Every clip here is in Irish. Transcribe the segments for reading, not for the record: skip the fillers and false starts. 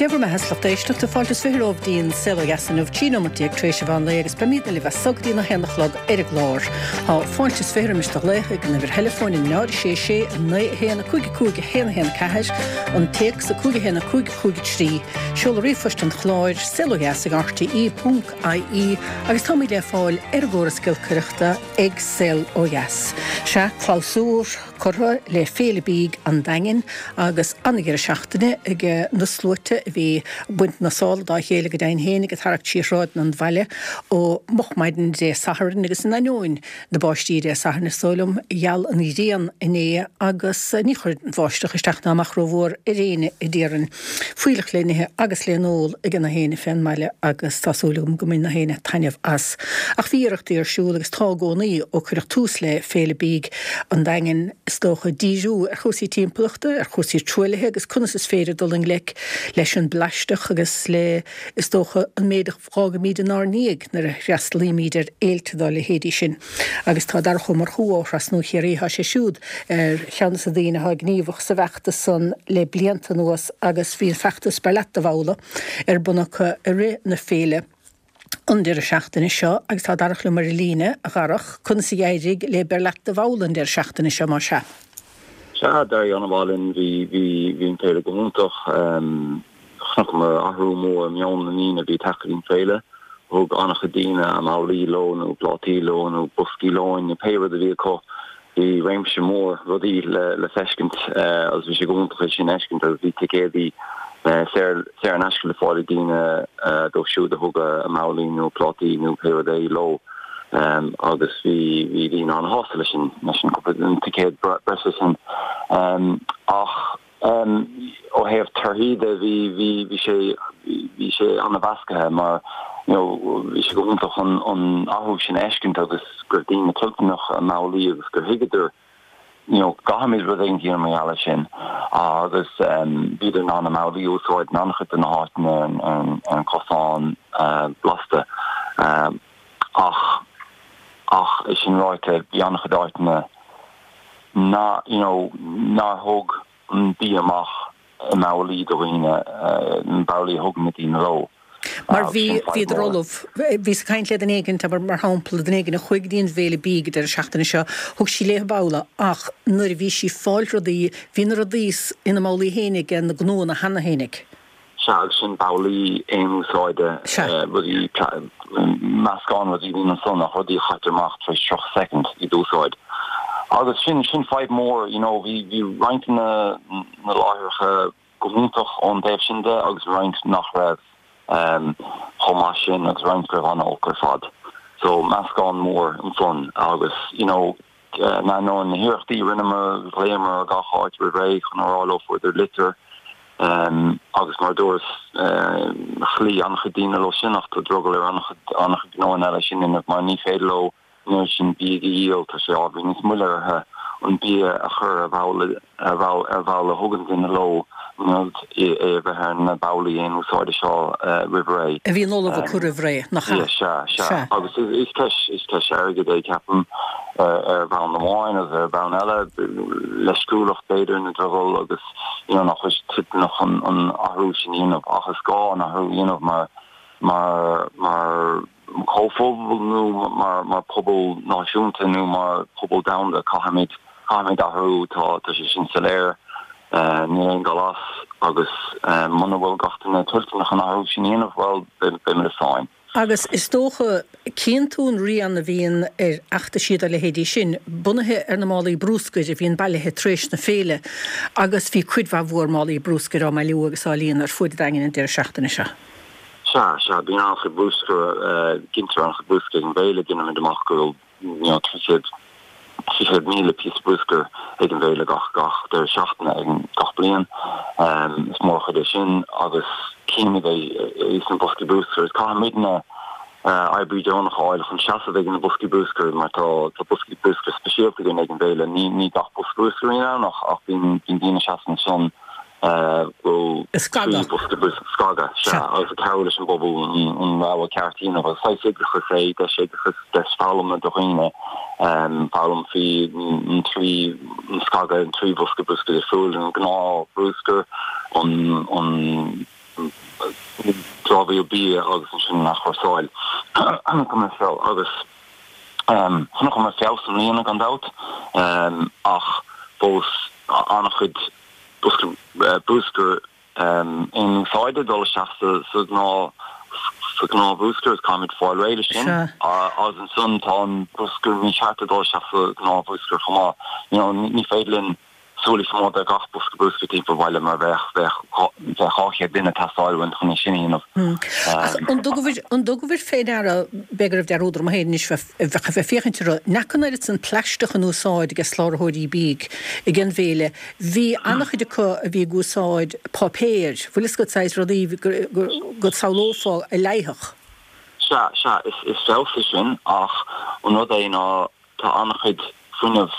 Dé bhur mbeatha, a lucht éisteachta, fáilte is 20 romhaibh dtí'n Saol Ó Dheas inniu, 13 nóimeat tar éis an mheán lae agus beimídne libh as so go dtí na haon a chlog ar an gclár. Tá fáilte is 20 roimis do ghlaoch ag an uimhir theileafóin 0 6 6 9 1 5 5 1 1 4, an téacs 5 1 5 5 3, seoladh ríomhphoist an chláir, saolodheas ag rte ponc ie agus táimid le fáil ar an gcóras giolcaireachta ag Saol Ó Dheas. Sea, clabhsúr curtha le Féile Bídh an Daingin agus an-dheireadh seachtaine ag na sluaite a bhí ag baint na sála dá chéile go deimhin féin ag tarrac trí shráideanna an bhaile ó moch maidin Dé Sathairn agus in ainneoin na báistí Dé Sathairn is dóigh liom, gheal an ghrian inné agus ní chuir an bháisteach isteach ná amach rómhór ar éinne a déarfainn. Fuílleach le n-ithe agus le n-ól ag na héinne fén mbaile agus tá súil agam go mbain na héinne taitneamh as. Ach bhí iarrachtaí ar siúl agus tá i gcónaí ó cuireadh tús le Féile Bídh an Daingin is dócha díriú ar chúrsaí timpeallachta, ar chúrsaí truaillithe agus conas is féidir dul i ngleic leis an bplaisteach agus le is dócha an méid a fhágaimid inár ndiaidh nuair a fhreastalaímid ar fhéilte dá leithéidí sin. Agus tá Darach Ó Murchú ó Thrasnú Chiarraí, tá sé siúd ar cheann de na daoine atá gníomhach sa bhfeachtas san le blianta anuas agus bhí an feachtas Beir Leat Do Bhabhla ar bun acu i rith na féile an deireadh seachtaine seo agus tá Darach liom ar an líne, a Dharach, conas a d'éirigh le Beir Leat Do Bhabhla an deireadh seachtaine seo, más ea? Sea, d'éirigh an-mhaith linn, bhí, bhí, bhí an féile go hiontach. Chonaiceamar athrú mór i meon na ndaoine a bhí ag teacht go dtí an féile. Thug an-chuid daoine a mbabhlaí leo nó plátaí leo nó boscaí lóin nó pé rud a bhí acu. Bhí réimse mór rudaí le feiscint agus bhí sé go hiontach é sin a fheiscint agus bhí ticéadaí saor in aisce le fáil ag daoine dóibh siúd a thug a mbabhlaí nó plátaí nó pé rud é leo agus bhí bhí daoine an-shásta leis an leis an cúpla an ticéad breise sin. Ach. Ó thaobh torthaí de, bhí, bhí, bhí sé, bhí sé an-mheascaithe mar, you know, bhí sé go hiontach an, an athrú sin a fheiscint agus go raibh daoine toilteanach a mbabhlaí agus gur thuigeadar, you know, caithfimid rud éigin a dhéanamh mar gheall air sin agus bhíodar in ann a mbabhlaí a úsáid in an-chuid de na háiteanna ar an, ar an chosán blasta. Ach, ach é sin ráite, bhí an-chuid áiteanna, ná, you know, nár thug an bia amach i mbabhlaí do dhaoine, na babhlaí a thug na daoine leo. Mar bhí, bhíodar ullamh. Bhíos ag caint le duine éigin, abair, mar shampla, duine éigin a chuaigh go dtí an bhféile bídh an deireadh seachtaine seo, thug sí léi babhla ach nuair a bhí sí ag fáil rudaí, bhí na rudaí ina mbabhlaí féinig ag na gnóanna cheana féinig. Sea, agus sin babhlaí aon úsáide, rudaí, meascán rudaí a bhíonn ansan ach rudaí a chaitear amach tar éis 30 soicind iad a úsáid. Agus sin, sin fadhb mór, you know, bhí, bhí roinnt de na, na láithreacha go hiontach ón dtaobh sin de agus roinnt nach raibh chomh maith sin agus roinnt go raibh an-olc ar fad. So meascán mór ansan agus, you know, In ainneoin na hiarrachtaí a rinneamar, ghlaomar ar gach áit roimh ré chun a rá leo fuaireadar litir agus mar a dúras, chloígh an-chuid daoine leo sin ach tá drogall ar an-chuid an-chuid gnóanna eile sin a dhéanamh mar ní féidir leo an oiread sin bídh a dhíol, tá sé ábhairín níos moille orthu an bia a chur ar bhabhla ar bhabhla a thugann duine leo in ionad é a bheith ar na babhlaí aon úsáide seo roimh ré. A bhíonn ullamh acu roimh ré, nach ea? Sea, sea. Agus is ceist, is ceist airgid é, ceapaim, ar bhonn amháin agus ar bhonn eile, leisciúlacht b'fhéidir, nó drogall agus you know nach bhfuil siad toilteanach an athrú sin a dhéanamh. Ach is gá an athrú a dhéanamh mar, mar, mar. comhphobal nó mar mar pobal náisiúnta nó mar pobal domhanda caithfimid caithfimid athrú tá tá sé sin soiléir níl aon dul as agus muna bhfuil gach duine toilteanach an athrú sin a dhéanamh bhuel beimid i sáinn. Agus is dócha, cíonn tú an rian a bhíonn ar fheachtaisí dá leithéidí sin, bunaithe ar na málaí brúscair a bhíonn bailithe tar éis na féile, agus bhí cuid mhaith mhór málaí brúscair á mbailiú agus á líonadh ar fuaid an Daingin an deireadh seachtaine seo. Sea, sea, bíonn an-chuid brúscair, gintear an-chuid brúscair ag an bhféile, déanaimid amach go bhfuil, you know, 300, 300,000 píosa brúscair ag an bhféile gach, gach deireadh seachtaine ag an, gach bliain. Is mór an chuid é sin agus címid é sna boscaí brúscair. Is caithfimidne oibrí deonach a fháil chun seasamh ag na boscaí brúscair mar tá, tá boscaí brúscair speisialta againn ag an bhféile. Ní, ní gach bosca brúscair a bhíonn ann ach, ach bíonn, bíonn daoine ag seasamh ansan bhfuil scagadh. bosca brúscair, scagadh, sea, agus ag cabhrú leis an bpobal an rogha ceart a dhéanamh. Agus saghas oideachas é, deis oideachais, deis foghlama do dhaoine, foghlaim faoi an trí, an scagadh, an trí bhosca brúscair difriúil, an gnáth brúscar, an, an. dramhaíl bia agus ansin an athchúrsáil. Agus chonaiceamar feabhas i mbliana gan dabht ach fós an-chuid bruscair in-úsáide ag dul isteach sa ghnáth sa ghnáthbhruscar is caithfimid fáil réidh leis sin. Agus ansan tá an bruscar mícheart ag dul isteach sa ghnáthbhruscar chomh maith. You know ní féidir linn súil a choimeád ar gach bosca bruscair timpeall an bhaile mar bheadh bheadh bheadh 200 duine ag teastáil uainn chun é sin a dhéanamh. Ach an dtugabhair an dtugabhair fé ndeara, b'fhéidir go raibh dearúd orm féin anois bheith bheith bheith féachaint orthu, nach raibh an oiread san plaisteach in úsáid ag soláthróirí bídh ag an bhféile, bhí an-chuid acu a bhí ag úsáid páipéir, bhfuil fhios agat, saghas rudaí go go samhlófá a leáfadh. Sea, sea, is is feabhas é sin ach an rud é ná Tá an-chuid fuinnimh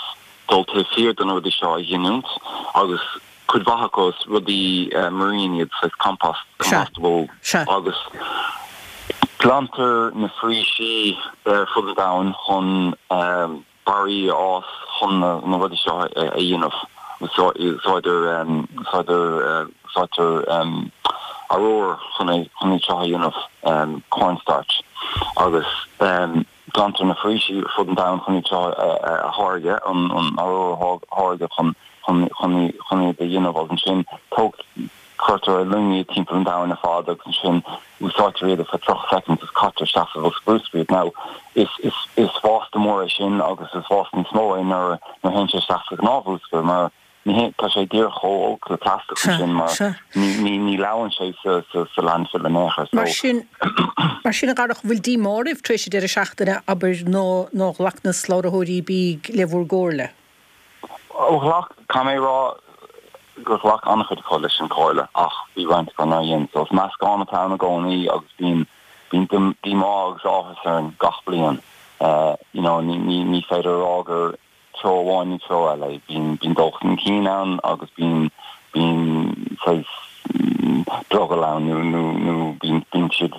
dul taobh thiar de na rudaí seo a ghiniúint agus cuid mhaith acu is rudaí marine iad, saghas compost, compostable agus glantar na foraoisí ar fud an domhain chun barraí a fhás chun na rudaí seo a dhéanamh. Úsáidtear úsáidtear arúr chun iad seo a dhéanamh, cornstarch, agus. Glantar na foraoisí ar fud an domhain chun iad seo a tháirgeadh, an arúr a tháirgeadh chun chun iad a dhéanamh agus ansin cuirtear ar loing iad timpeall an domhain ar fad agus ansin úsáidtear iad ar feadh 30 soicind agus caitear isteach sa bhosca bruscair iad. Now is is is vásta mór é sin agus is vásta níos mó é nuair nuair a théann sé isteach sa ghnáthbhruscar mar Ní hé, tá sé díreach chomh olc le plaisteach ansin mar ní leáann sé sa landfill in aon chor. Mar sin, mar sin a Dharach, bhfuil díomá oraibh tar éis an deireadh seachtaine, abair, nó nár ghlac na soláthróirí bídh le bhur gcomhairle? Ó ghlac, caithfidh mé a rá gur ghlac an-chuid acu leis an chomhairle ach bhí roinnt acu nár dhein. So is meascán atá ann i gcónaí agus bíonn, bíonn díomá agus áthas orainn gach bliain. You know, ní, ní, ní féidir a rá gur, treo amháin nó treo eile. Bíonn, bíonn dul chun cinn ann agus bíonn, bíonn saghas drogall ann nó, nó, nó bíonn, bíonn siad,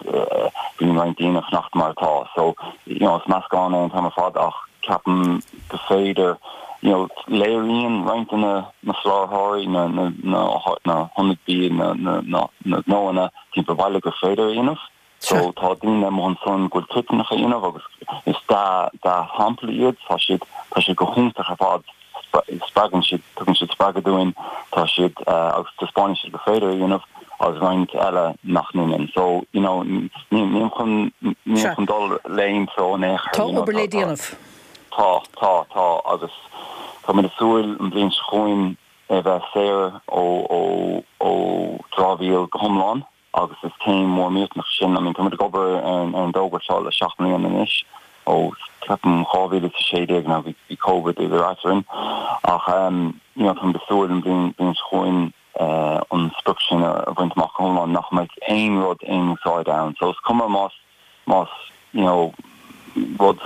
bíonn roinnt daoine ag fanacht mar atá. So, you know, is meascán é an t-am ar fad ach ceapaim go féidir, you know, léiríonn roinnt de na, na soláthróirí, na, na, na, na hionaid bia, na, na, na, na gnóanna timpeall an bhaile gur féidir a dhéanamh. So tá daoine amuigh ansan go bhfuil toilteanach a dhéanamh agus is dea-shampla iad. Tá siad, tá siad go hiontach ar fad. Spreagann siad, tugann siad spreagadh dúinn, tá siad, agus taispeánann siad gur féidir a dhéanamh agus roinnt eile nach ndéanann. So, you know, nílim chun, nílim chun dul le aon treo in aon chor. Tá obair le déanamh. Tá, tá, tá agus táimid ag súil an bhliain seo chugainn a bheith saor ó, ó, ó dramhaíl go hiomlán. agus is céim mhór mhillteanach sin. I mean, táimid ag obair ar an dtogra seo le 7 mbliana anois, ó ceapaim 2016 now bhí bhí Covid idir eadrainn, ach you know táimid ag súil an bhliain bhliain seo chugainn an sprioc sin a bhaint amach go hiomlán, nach mbeidh aon rud aon úsáide ann. So is cuma más más you know rud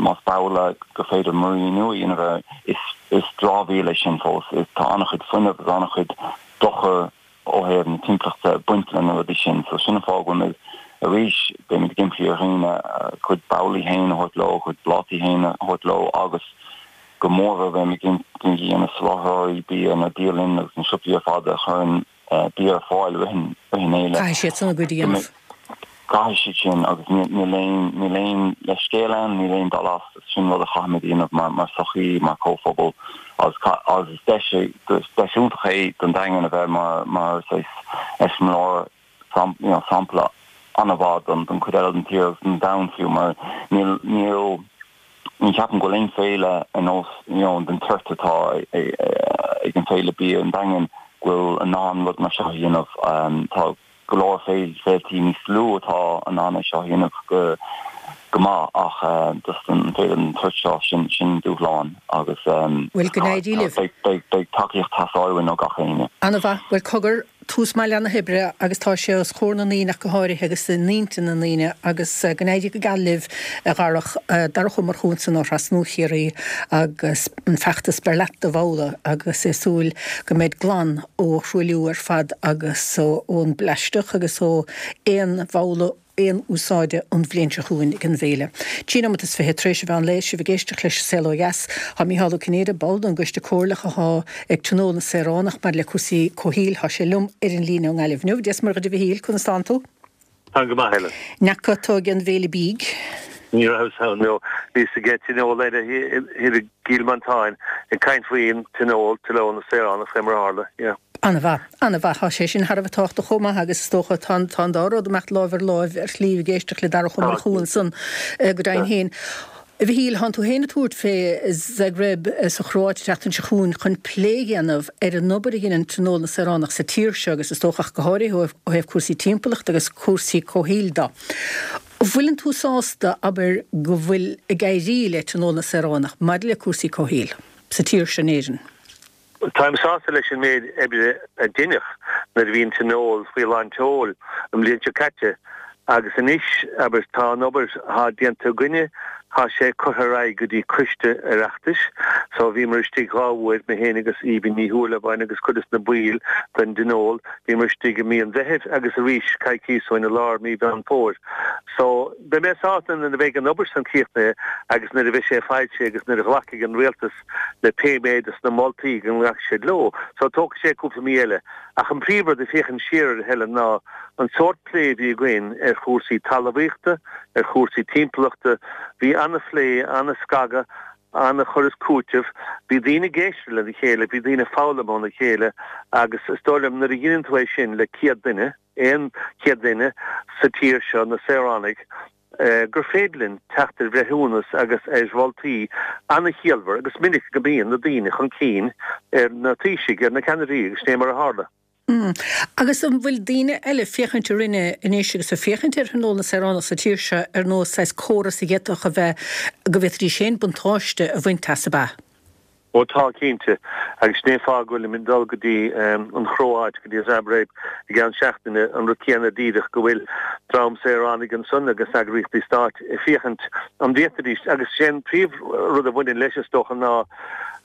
más babhla gur féidir muiríniú a dhéanamh air, is is dramhaíl é sin fós. Tá an-chuid fuinnimh agus an-chuid dochar ó thaobh na timpeallachta ag baint le na rudaí sin. So sin an fáth go bhfuil muid arís, beimid ag impí ar dhaoine a gcuid babhlaí féin a thabhairt leo, a gcuid plátaí féin a thabhairt leo agus go mórmhór beimid ag impí ar na soláthróirí bia, na bialanna agus na siopaí ar fad a chuireann bia ar fáil i rith an fhéile. Caithfidh siad san a gcuid a dhéanamh. Caithfidh siad sin agus níl aon, níl aon leithscéal ann, níl aon dul as, sin rud a chaithfimid a dhéanamh mar, mar sochaí, mar chomhphobal agus agus is deis é, deis iontach é don Daingean a bheith mar, mar saghas eiseamláir, you know, sampla an-mhaith don, don chuid eile den tír agus don domhan fiú mar níl, níl, ní cheapaim go bhfuil aon féile ar nós, you know, den tseort atá ag an Féile Bia an Daingin go bhfuil in ann rud mar seo a dhéanamh. Tá. go leor féiltí níos lú atá in ann é seo a dhéanamh go go maith ach just an féile den tsórt seo, sin sin dúshlán agus Bhuel, go n-éirí libh. beidh beidh tacaíocht ag teastáil uainn ó gach éinne. Ana-mhaith. Bhuel, cogar, tús maith le na hoibre agus tá sé os comhair na ndaoine ach go háirithe agus in intinn na ndaoine agus go n-éirí go geal libh a Dharach. Darach Ó Murchú ansan ó Thrasnú Chiarraí agus an feachtas Beir Leat Do Bhabhla agus é ag súil go mbeidh glan ó thruailliú ar fad agus ón bplaisteach agus ó aon bhabhla. aon úsáide an bhliain seo chugainn ag an bhféile. 13 nóimeat tar éis an mheán lae, sibh ag éisteacht leis An Saol Ó Dheas. Tá Mícheál Ó Cinnéide, ball den gCoiste Comhairleach athá ag Tionól na Saoránach maidir le cúrsaí comhshaoil, tá sé liom ar an líne ó nGaillimh inniu. Dia 's Muire dhuit a Mhichíl, conas tánn tú? Táim go maith, Helen. N'fheaca tú ag an bhféile bídh? Ní rabhas ann, no. Bhíos ag tionól eile thiar i gCill Mhantáin ag caint faoin tionól, Tionól na Saoránach, fé mar a tharla, yeah. An-mhaith, an-mhaith. Tá sé sin thar a bheith tábhachtach chomh maith agus is dócha tá tá an dá rud ag imeacht láimh ar láimh ar shlí ag éisteacht le Darach Ó Murchú ansan go deimhin féin. A Mhichíl, thánn tú féin ag tabhairt fé Zagreb sa Chróit an tseachtain seo chugainn chun plé a dhéanamh ar an obair a dheineann Tionól na Saoránach sa tír seo agus is dócha ach go háirithe ó thaobh cúrsaí timpeallachta agus cúrsaí comhshaoil de. An bhfuileann tú sásta, abair, go bhfuil ag éirí le Tionól na Saoránach maidir le cúrsaí comhshaoil sa tír seo in Éirinn? Táim sásta leis an méid oibre a deineadh nuair a bhí an Tionól faoi lán tseoil an bhliain seo caite agus anois, abair, tá an obair atá déanta againne, tá sé curtha ar aghaidh go dtí Coiste Oireachtais. So bhíomar istigh dhá uair, mé féin agus Aoibhinn Ní Shúilleabháin agus cuid des na baill den dTionól, bhíomar istigh i mí an Mheithimh agus arís coicíos ó shin i lár mí Mheán Fómhair. So beidh mé sásta nuair a bheidh an obair san críochnaithe agus nuair a bheidh sé foilsithe agus nuair a ghlacfaidh an Rialtas le pé méid des na moltaí go nglacfaidh siad leo. So tógfaidh sé cúpla mí eile. Ach an príomhrud ag féachaint siar air, a Helen, ná an sórt plé a bhí againn ar chúrsaí talmhaíochta, ar chúrsaí timpeallachta, bhí ana-phlé, ana-scagadh, ana-chur is cúiteamh. Bhí daoine ag éisteacht lena chéile, bhí daoine ag foghlaim óna chéile agus is dóigh liom nuair a dheineann tú é sin le 100 duine, aon chéad duine sa tír seo, na saoránaigh, gur féidir linn teacht ar bhreithiúnas agus ar mholtaí an-chiallmhar agus minic go mbíonn na daoine chun cinn ar na taoisigh, ar na ceannairí agus sin é mar a tharla. Agus an bhfuil daoine eile ag féachaint orainne anois agus ag féachaint ar Thionól na Saoránach sa tír seo ar nós saghas córas a d'fhéadfadh a bheith, go bhféadfaidís féin buntáiste a bhaint as, ab ea? Ó tá, cinnte. Agus sin é an fáth go bhfuilim ag dul go dtí an Chróáit, go dtí Zagreb i gceann seachtaine, an rud céanna díreach, go bhfuil dream saoránaigh ansan agus eagraíochtaí stáit ag féachaint an bhféadfaidís, agus sé an príomh rud a bhaineann leis is dócha ná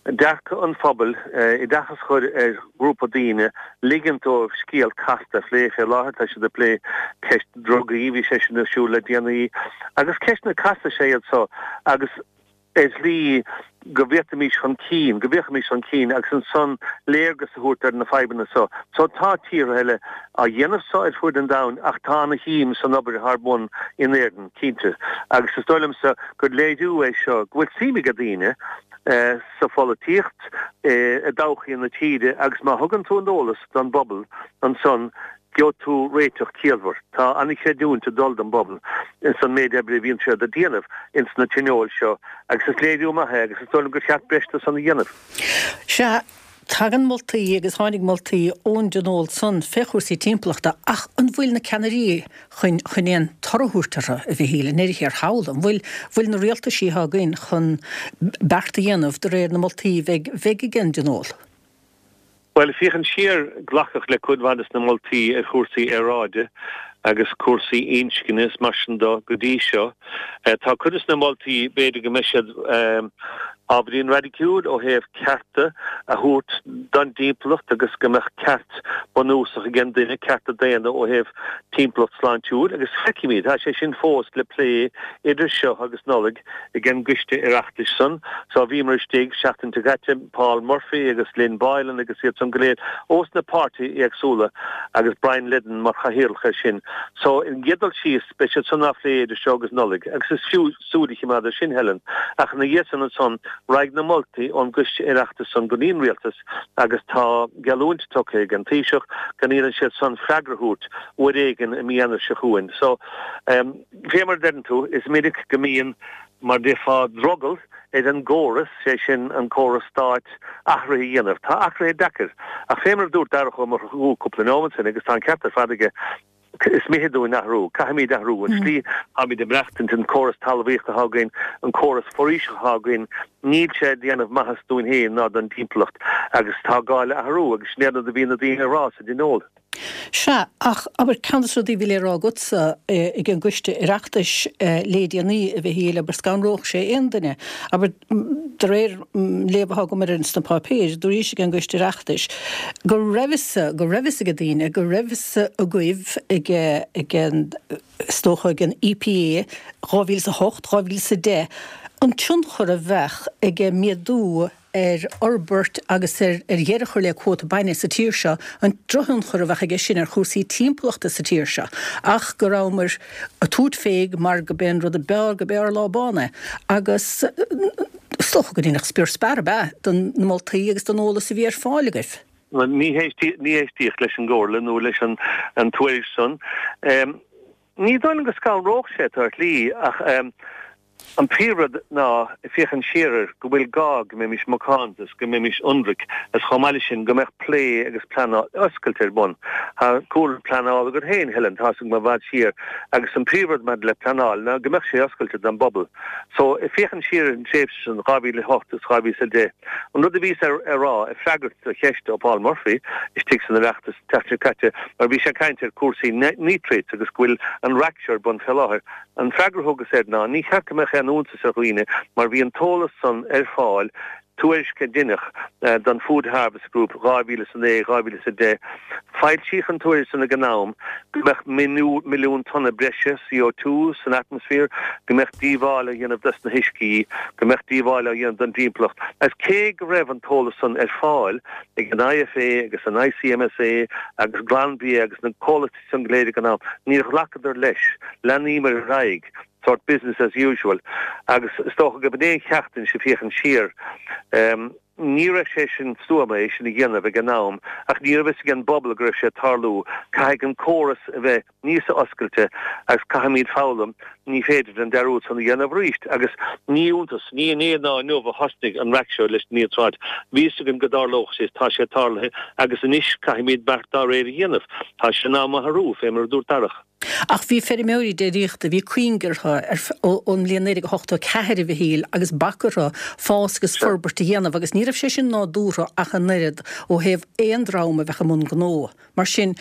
dearcadh an phobail, oideachas a chur ar ghrúpa daoine, ligint dóibh scéal casta a phlé. Fé láthair tá siad ag plé ceist drugaí, bhí sé sin ar siúl le déanaí, agus ceisteanna casta is ea iad so agus, ar shlí go bhféadfaimis chun cinn, go bhféachfaimis chun cinn agus ansan léargas a thabhairt ar na fadhbanna so. So tá tíortha eile á dhéanamh so ar fuaid an domhain ach tá ana-shuim san obair atá ar bun in Éirinn, cinnte. Agus is dóigh liomsa gur léiriú é seo go bhfuil suim ag daoine sa pholaitíocht, i dtodhchaí na tíre agus má thugann tú an t-eolas don bpobal ansan gheobhaidh tú réiteach ciallmhar. Tá an-chreidiúint ag dul don bpobal ins an méid oibre a bhíonn siad a déanamh ins na tionóil seo agus is léiriú maith é agus is dóigh liom gur cheart breis de san a dhéanamh. Sea, tagann moltaí agus tháinig moltaí ón dtionól san fé chúrsaí timpeallachta ach an bhfuil na ceannairí chun chun aon toradh a thabhairt orthu, a Mhichíl, i ndeireadh thiar thall? An bhfuil bhfuil na rialtaisí atá againn chun beart a dhéanamh de réir na moltaí bheidh bheidh ag an dtionól? Bhuel, féachaint siar, glacadh le cuid mhaith de na moltaí ar chúrsaí aeráide agus cúrsaí inscne is mar sin de go dtí seo. Tá cuid de na moltaí, b'fhéidir go mbeidh siad ábhairín raidiciúil ó thaobh cearta a thabhairt don dtimpeallacht agus go mbeadh ceart bunúsach ag an duine, cearta daonna ó thaobh timpeallacht sláintiúil agus feicfimid, tá sé sin fós le plé idir seo agus Nollaig. ag an gcoiste Oireachtais san. So bhíomar istigh seachtain seo caite, Paul Murphy agus Lynn Boylan agus iad san go léir ós na páirtithe éagsúla agus Brian Leddin mar chathaoirleach air sin. So ar an gcéad dul síos beidh siad san á phlé idir seo agus Nollaig agus is fiú súil a chimeád air sin, Helen. Ach ina dhiaidh san ansan raghaidh na moltaí ón gcoiste Oireachtais san go dtí an Rialtas agus tá geallúint tugtha ag an Taoiseach go n-iarrann siad san freagra a thabhairt uair éigin i mí Eanáir seo chugainn. So. Fé mar a deireann tú, is minic go mbíonn, mar déarfá, drogall ar an gcóras, sé sin an córas stáit, athruithe a dhéanamh. Tá athruithe deacair. Ach fé mar a dúirt Darach Ó Murchú cúpla nóiméad ó shin, agus tá an ceart ar fad aige, is mithid dúinn athrú. Caithfimid athrú. An slí atáimid ag maireachtaint, an córas talmhaíochta atá againn, an córas foraoiseachta atá againn, níl sé ag déanamh maitheas dúinn féin ná don dtimpeallacht. Agus tá gá le athrú. Agus sin é an rud a bhí na daoine a rá sa dtionól. Sea, ach abair, ceann de na rudaí a bhí le rá agatsa ag an gcoiste Oireachtais le déanaí, a Mhichíl, abair, scanródh sé aon duine, abair, de réir léamh atá agam air sna páipéir, dúraís ag an gcoiste Oireachtais go raibh fhios, go raibh fhios ag daoine, go raibh fhios agaibh ag, ag an, is dócha ag an EPA, 2008, 2010, an tionchar a bheadh ag méadú ar fhorbairt agus ar dheireadh a chur le cuóta bainne sa tír seo, an drochthionchar a bheadh aige sin ar chúrsaí timpeallachta sa tír seo, ach go rabhamar ag tabhairt fé mar go b'é an rud a b'fhearr, go b'é ár lá bán é. Agus is dócha go ndéanfadh spior spear ab ea den na moltaí agus den eolas a bhí ar fáil agaibh. Ní héistíodh leis an gcomhairle nó leis an tuairisc san. Ní dóigh liom go scanródh sé tú ar shlí ach An príomhrud ná, ag féachaint siar air, go bhfuil gá go mbeimis macánta is go mbeimis ionraic is chomh maith leis sin go mbeadh plé agus pleanáil oscailte ar bun. Tá cúlra pleanála agat féin, Helen, tá's agam i bhfad siar agus an príomhrud maidir le pleanáil ná go mbeadh sé oscailte don bpobal. So, ag féachaint siar ar an tréimhse sin, 2008 is 2010, an rud a bhíos a rá ag freagairt do cheist ó Paul Murphy istigh san Oireachtas an tseachtain seo caite mar bhí sé ag caint ar cúrsaí nitrates agus go bhfuil an raic seo ar bun fé láthair, An freagra a thugas air ná, ní cheart go mbeadh aon iontas ar dhaoine mar bhí an t-eolas san ar fáil, tuairisc a deineadh don Food Harvest Group 2009, 2010. Foilsíodh an tuairisc san ag an am go mbeadh milliún tonna breise CO2 san atmaisféar, go mbeadh díobháil á dhéanamh dos na huiscí, go mbeadh díobháil á dhéanamh don dtimpeallacht. Agus cé go raibh an t-eolas san ar fáil ag an IFA agus an ICMSA agus Glanbia agus na comhlachtaí san go léir ag an am. Níor ghlacadar leis. Leanaíomar ar aghaidh, sórt business as usual. Agus is dócha go b'in é an cheacht anois ag féachaint siar. Ní raibh sé sin stuama é sin a dhéanamh ag an am ach ní raibh fhios ag an bpobal go raibh sé ag tarlú. Caithfidh an córas a bheith níos oscailte agus caithfimid foghlaim Ní féidir an dearúd san a dhéanamh arís. Agus ní iontas, ní inné ná inniu a thosnaigh an raic seo leis na níotráit. Bhí fhios againn go dtarlódh sé, tá sé tarlaithe agus anois caithfimid beart dá réir a dhéanamh. Tá sé in am athrú, fé mar a dúirt Darach. Ach bhí feirmeoirí déiríochta, bhí cuing orthu ar ón mbliain 1984, a Mhichíl, agus bac orthu fás agus forbairt a dhéanamh agus ní raibh sé sin nádúrtha ach an oiread ó thaobh aon dream a bheadh i mbun gnó. Mar sin,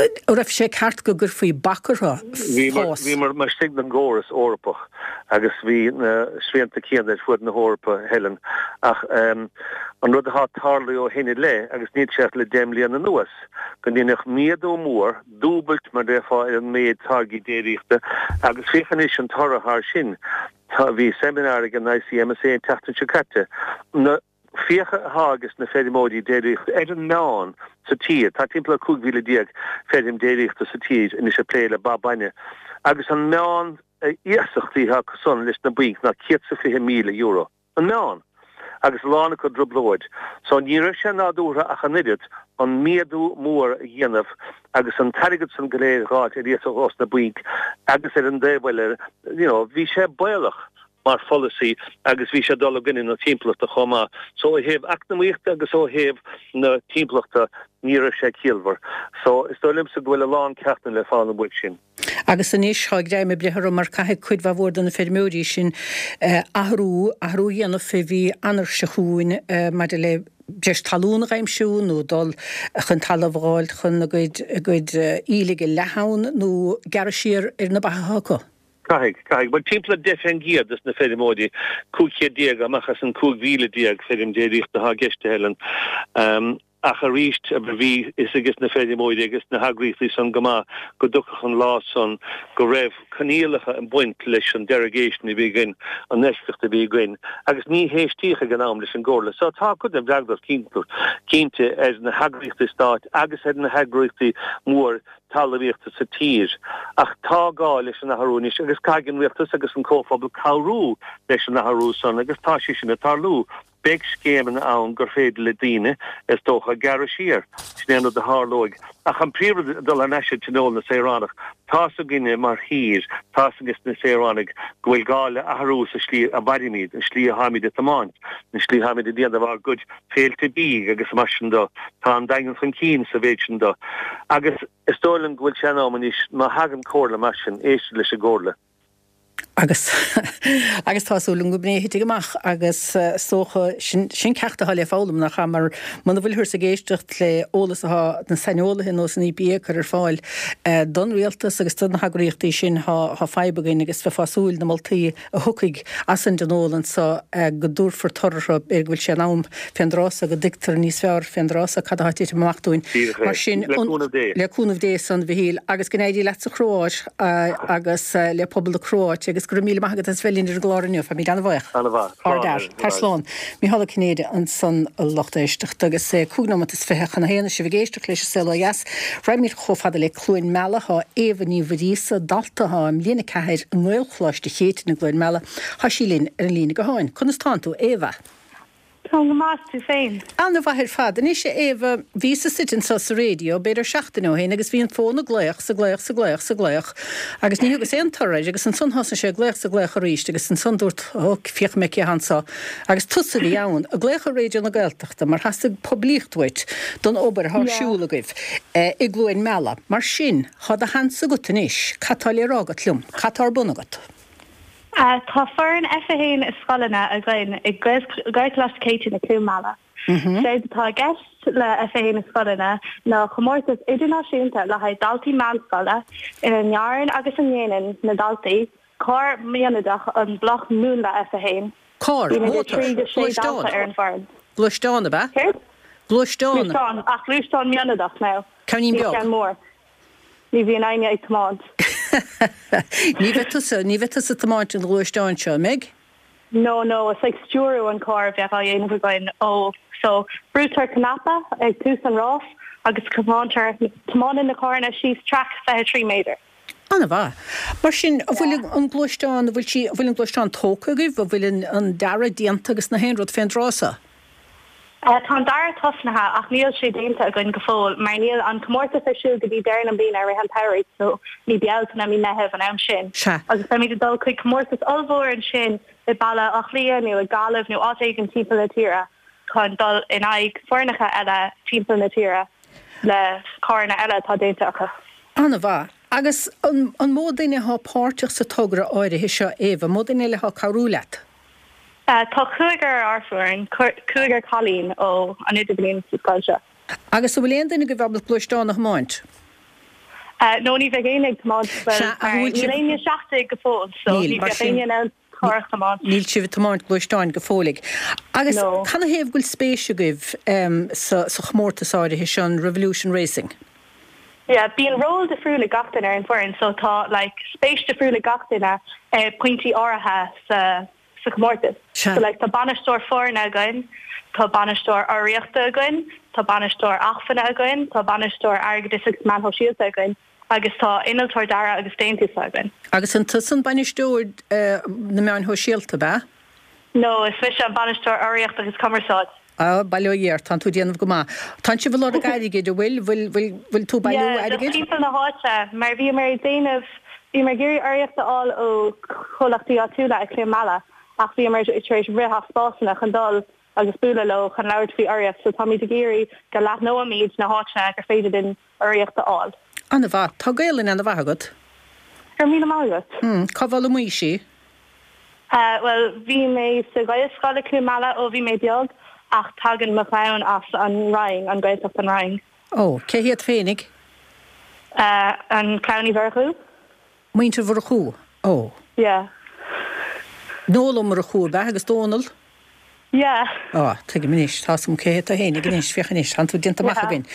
An raibh sé ceart go gcuirfí bac orthu fás? Bhíomar laistigh den gcóras Eorpach agus bhí na srianta céanna ar fuaid na hEorpa, Helen, ach an rud atá tarlaithe ó shin i leith, agus níl sé ach le 10 mbliana anuas, go ndeineadh méadú mór, dúbailt mar déarfá ar an méid táirgí déiríochta agus féach anois an toradh thar sin. Bhí seimineár ag an ICMSA an tseachtain seo caite. Na. Fiacha atá ages na feirmeoirí déiríochta ar an meán sa tír, tá timpeall ar 15,000 feirm déiríochta sa tír anois ag plé le ba bainne, agus an meán iasachtaí atá acu san leis na bainc ná €120,000. An meán! Agus a lán acu i dtrioblóid. So ní raibh sé nádúrtha ach an oiread an méadú mór a dhéanamh agus an t-airgead san go léir a dh'fháilt ar iasacht ós na bainc agus ar an dtaobh eile, you know, bhí sé baolach. mar pholasaí agus bhí sé ag dul i gcoinne na timpeallachta chomh maith. So ó thaobh eacnamaíochta agus ó thaobh na timpeallachta ní raibh sé ciallmhar. So is dóigh liomsa go bhfuil a lán ceachtanna le foghlaim uaidh sin. Agus anois tá greim ag breith orthu mar caithfidh cuid mhaith mhór de na feirmeoirí sin athrú, athrú a dhéanamh fé mhí Eanáir seo chugainn maidir le breis talún a dh'aimsiú nó dul chun talamh a dh'fháilt chun a gcuid, a gcuid aoiligh a leathadh ann nó gearradh siar ar na ba atá acu. Caithfidh, caithfidh. Bhuel, timpeall ar 10% des na feirmeoirí, 500 amach as an 15,000 feirm déiríochta atá i gceist, a Helen. Ach arís, bhí fhios ages na feirmeoirí agus na heagraíochtaí san go maith go dtiocfadh an lá san go raibh coinníollacha ag baint leis an derogation a bhí againn, an eisceacht a bhí againn, agus ní héistíodh ag an am leis an gcomhairle. So tá cuid den bhfreagracht cinnte ar na heagraíochtaí stáit agus ar na heagraíochtaí mór talmhaíochta sa tír. Ach tá gá leis an athrú anois agus caithfidh an rialtas agus an comhphobal cabhrú leis an athrú san agus tá sé sin ag tarlú. Beidh scéimeanna ann gur féidir le daoine, is dócha, gearradh siar. Sin é an rud a tharlóidh. Ach an príomhrud, dul thar n-ais ag Tionól na Saoránach, tá's againne mar thír, tá's ages na saoránaigh go bhfuil gá le athrú sa slí a mhairimid, an slí atháimid ag tiomáint, an slí atháimid ag déanamh ár gcuid féilte bídh agus mar sin do. Tá an Daingean chun cinn sa mhéid sin do. Agus is dóigh liom go bhfuil sé in am anois, má thagann comhairle mar sin, éisteacht leis an gcomhairle. Agus, agus tá súil agam go b'in é a thitfidh amach agus is dócha, sin, sin ceacht atá le foghlaim, nach ea? Mar muna bhfuilthear ag éisteacht le eolas atá na saineolaithe ar nós an EPA ag cur ar fáil don rialtas agus do na heagraíochtaí sin, tá, tá fadhb againn agus bheifeá ag súil na moltaí a thiocfaidh as an dtionól anso go dtabharfar toradh orthu, b'fhéidir go bhfuil sé in am fén dtráth so go dtuigtear níos fearr fén dtráth so cad atá ag titim amach dúinn. Díreach é. Mar sin, Le cúnamh Dé. Le cúnamh Dé san, a Mhichíl, agus go n-éirí leat sa Chróáit agus le pobal na Cróáite agus go raibh míle maith agat as bheith linn ar an gclár inniu. Táimid an-bhuíoch. An-mhaith. Slán. Ard-fhear. Tar slán. Micheál Ó Cinnéide ansan a lucht éisteachta agus é 25 nóimeat chun a haon is sibh ag éisteacht leis an Saol Ó Dheas. Raghaimid chomh fada le Cluain Meala. Tá Éabha Ní Mhuiríosa, dalta atá i mbliain 4 i nGaelcholáiste Chéitinn i gCluain Meala, tá sí linn ar an líne gutháin. Conas tánn tú, Éabha? Táim go maith, tú féin? An-mhaith ar fad. Anois, a Éabha, bhíos istigh anso sa raidió b'fhéidir seachtain ó shin agus bhí an fón ag glaoch 's ag glaoch 's ag glaoch 's ag glaoch agus ní thugas aon toradh air agus ansan thosnaigh sé ag glaoch 's ag glaoch arís agus ansan dúrt, ó, féachfaidh mé cé atá anso. Agus tusa a bhí ann, ag glaoch ar Raidió na Gaeltachta mar theastaigh poiblíocht uait don obair atá ar siúl agaibh i gCluain Meala. Mar sin, tá do sheans agat anois, cad tá le rá agat liom? Cad tá ar bun agat? Tá foireann F1 i scoileanna againn i Gaelcholáiste Céitinn i Cluain Meala. Séard atá i gceist le F1 i scoileanna ná comórtas idirnáisiúnta le haghaidh daltaí meánscoile ina ndearann agus a ndéanann na daltaí carr mianadach an bloc múnla F1. Carr, Bíonn idir mótar, 3 go 6 gluaisteán. dalta ar an bhfoireann. Gluaisteán, ab ea? Céard? Gluaisteán. Gluaisteán, ach gluaisteán mianadach now. Ceainnín Ní beag. ceann mór. Ní bhíonn éinne ag tiomáint. Ní bheidh tusa, ní bheidh tusa ag tiomáint an ghluaisteáin seo, an mbeidh? No, no, is like stiúrú an carr a bheadh á dhéanamh againn ó, so brúitear cnaipe ag tús an rás agus tiomáintear, tiomáineann na carranna síos traic 23 méadar. An-mhaith. Mar sin, an bhfuil an gluaisteán, an bhfuil sí, an bhfuil an gluaisteán tógtha agaibh, an bhfuil an, an dearadh déanta agus na haon rud fén dtráth so? Tá an dearadh tosnaithe ach níl sé déanta againn go fóill mar níl an comórtas ar siúl go dtí deireadh na bliana i rith an tsamhraidh so mí Bealtaine, mí Meitheamh an am sin. Sea. Agus beimid ag dul chuig comórtas ollmhór ansin i Baile Átha Cliath nó i Gaillimh nó áit éigin timpeall na tíre chun dul in aghaidh foirneacha eile timpeall na tíre le carranna eile atá déanta acu. An-mhaith. Agus an an mó duine atá páirteach sa togra áirithe seo, Éabha? An mó duine eile atá ag cabhrú leat? Tá cúigear ar ár bhfoireann, cúigear cailín ó an idirbhliain sa scoil seo. Agus an bhfuil aon duine agaibh ábalta gluaisteán a thiomáint? No, ní bheidh éinne ag tiomáint, bhuel, mar níl éinne 17 go fóill, so ní bheadh éinne in ann carr a thiomáint. Níl sibh ag tiomáint gluaisteáin go fóilligh. Agus canathaobh go bhfuil spéis agaibh sa chomórtas áirithe seo, an Revolution Racing? Yeah, bíonn ról difriúil ag gach duine ar an bhfoireann so tá like spéis difriúil ag gach duine i pointí áirithe sa sa chomórtas. Sea. So like tá bainisteoir foirne againn, tá bainisteoir urraíochta againn, tá bainisteoir acmhainne againn, tá bainisteoir airgeadais agus meáin shóisialta againn agus tá innealtóir dearaidh agus déantús againn. Agus an tusa an bainisteoir na meáin shóisialta, ab ea? No, is mise an bainisteoir urraíochta agus cumarsáid. Á, bail ó Dhia ort, tánn tú ag déanamh go maith. Tánn sibh ag lorg airgid, an bhfuil? Bhfuil, bhfuil, bhfuil tú ag bailiú Yeah, just airgid? timpeall na háite, mar bhíomar ag déanamh, bhíomar ag iarraidh urraíocht a fháil ó chomhlachtaí áitiúla i Cluain Meala ach bhíomar tar éis rith as spásanna chun dul agus bualadh leo chun labhairt faoi urraíocht so táimid ag iarraidh go leathnóimid na háiteanna gur féidir linn urraíocht a fháil. An-mhaith. Tá Gaelainn an-mhaith agat. Go raibh míle maith agat. Hmm, cá bhfoghlaimís í? Bhuel, bhí mé sa Ghaelscoil i Cluain Meala ó bhí mé beag ach tagann mo chlann as an Rinn, an Ghaeltacht an Rinn. Ó, cé hiad féinig? An clann Uí Mhurchú. Muintir Mhurchú, ó. Yeah. Noel Ó Murchú ab ea agus Dónal? Yeah. Á, tuigim anois, tá 'fhios a'm cé hiad tú fhéinig anois, féach anois, tánn tú déanta amach againn.